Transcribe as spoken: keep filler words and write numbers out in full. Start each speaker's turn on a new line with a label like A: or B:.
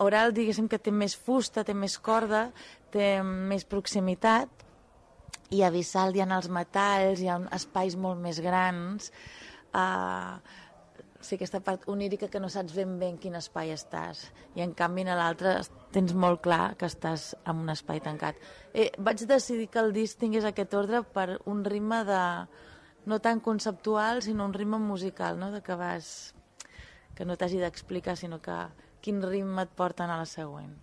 A: oral, diguéssim que té més fusta, té més corda, té més proximitat, i a Visalt hi ha els metalls, hi ha espais molt més grans, uh, sí, aquesta part onírica que no saps ben bé en quin espai estàs, i en canvi a l'altre tens molt clar que estàs en un espai tancat. Eh, vaig decidir que el disc tingués aquest ordre per un ritme de no tan conceptual, sinó un ritme musical, no? De que vas, que no t'hagi d'explicar, sinó que quin ritme et porten a la següent.